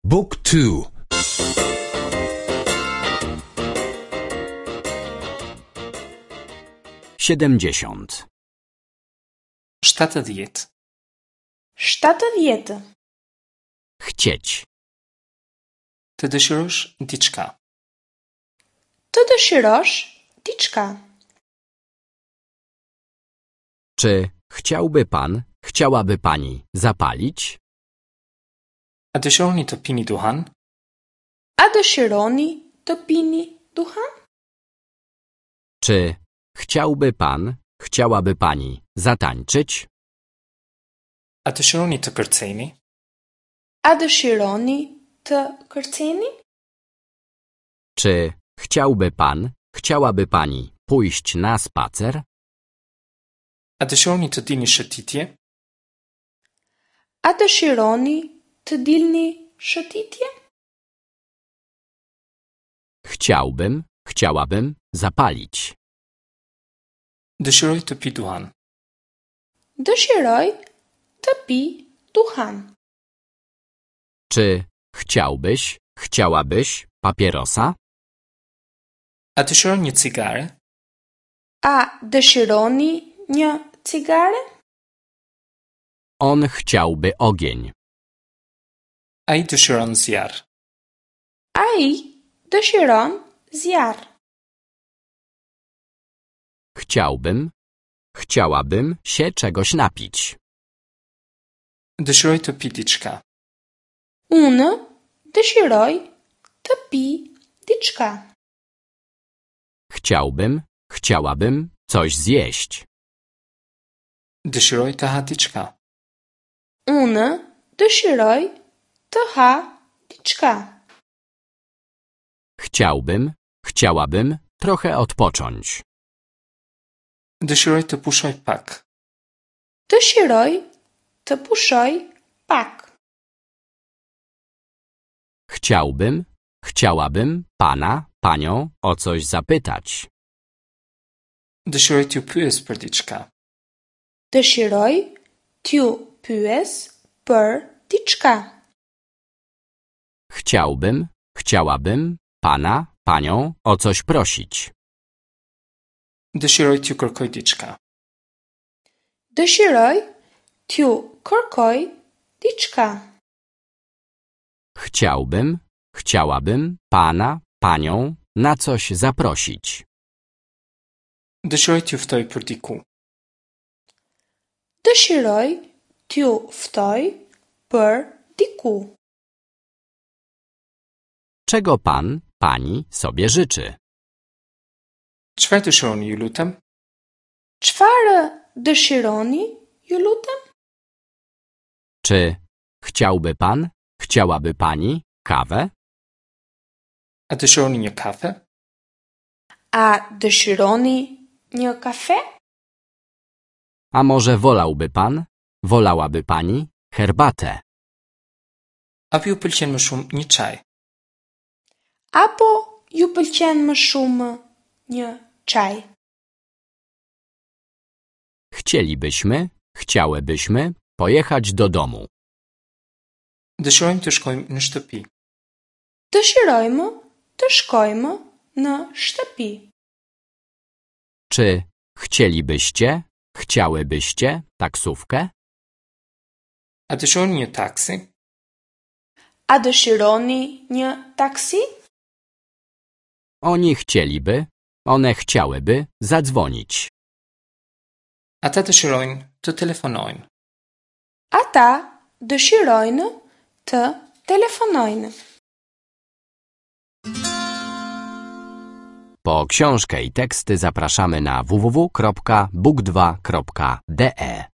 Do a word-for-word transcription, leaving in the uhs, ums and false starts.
Book two. Siedemdziesiąt. Shtatëdhjetë. Shtatëdhjetë. Chcieć. Të dëshirosh diçka. Të dëshirosh diçka. Czy chciałby pan, chciałaby pani zapalić? A dëshironi të pini duhan? A dëshironi të pini duhan? Czy chciałby pan, chciałaby pani zatańczyć? A dëshironi të kërceni? A dëshironi të kërceni? Czy chciałby pan, chciałaby pani pójść na spacer? A dëshironi të dilni shëtitje? A dëshironi të dilni shëtitje? Chciałbym, chciałabym zapalić. Dëshiroj të pi duhan. Dëshiroj të pi duhan. Czy chciałbyś, chciałabyś papierosa? A dëshiron një cigare? A dëshironi një cigare? On chciałby ogień. Ai dëshiron zjarr. Ai dëshiron zjarr. Chciałbym, chciałabym się czegoś napić. Dëshiroj të pi diçka. Unë dëshiroj të pi diçka. Chciałbym, chciałabym coś zjeść. Dëshiroj të ha diçka. Unë dëshiroj të ha diçka. Chciałbym, chciałabym trochę odpocząć. Dëshiroj të pushoj pak. Dëshiroj të pushoj pak. Chciałbym, chciałabym pana, panią o coś zapytać. Dëshiroj t'ju pyes për diçka. Dëshiroj t'ju pyes për diçka. Chciałbym, chciałabym pana, panią o coś prosić. Dëshiroj t'ju kërkoj diçka. Dëshiroj t'ju kërkoj diçka. Chciałbym, chciałabym pana, panią na coś zaprosić. Dëshiroj t'ju ftoj për diku. Dëshiroj t'ju ftoj për diku. Czego pan, pani sobie życzy? Çfarë dëshironi, ju lutem? Çfarë dëshironi, ju lutem? Czy chciałby pan, chciałaby pani kawę? A dëshironi një kafe? A dëshironi një kafe? A może wolałby pan, wolałaby pani herbatę? Apo ju pëlqen më shumë një çaj? Apo ju pëlqen më shumë një çaj? Chcielibyśmy, chciałybyśmy pojechać do domu. Dëshirojmë të shkojmë në shtëpi. Dëshirojmë të shkojmë në shtëpi. Czy chcielibyście, chciałybyście taksówkę? A dëshironi një taksi? A dëshironi një taksi? Oni chcieliby, one chciałyby zadzwonić. Ata dëshirojnë të telefonojnë. Ata dëshirojnë të telefonojnë. Po książkę i teksty zapraszamy na w w w kropka book dwa kropka d e.